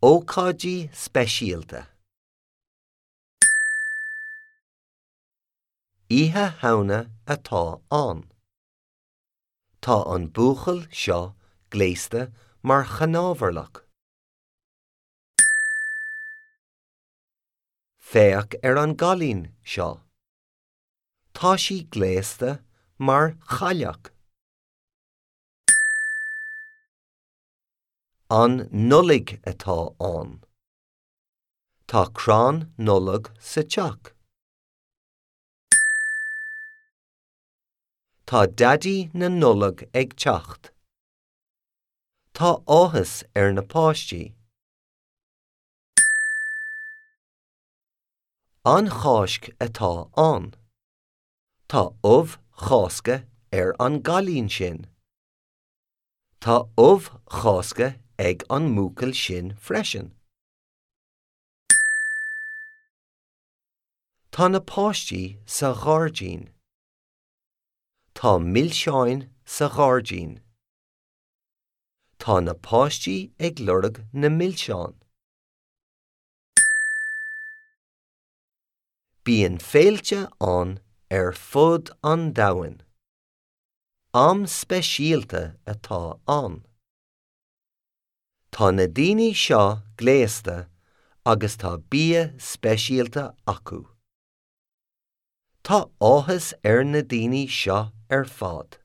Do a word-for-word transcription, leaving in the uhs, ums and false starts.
Ócáidí speisialta. Oíche Shamhna atá ann. Tá an buachaill seo gléasta mar chnámharlach. Féach ar an gcailín seo. Tá sí gléasta mar chailleach. An Nollaig atá ann. Tá crann Nollag sa teach. Tá Daidí na Nollag ag teacht. Tá áthas ar na páistí. An Cháisc atá ann. Tá ubh Chásca ar an gcailín sin. Tá ubh Chásca ag an mbuachaill sin freisin. Tá na páistí sa ghairdín. Tá milseáin sa ghairdín. Tá na páistí ag lorg na milseán. Bíonn féilte ann ar fud an domhain. Am speisialta atá ann. Tá na daoine seo gléasta agus tá bia speisialta acu. Tá áthas ar na daoine seo ar fad.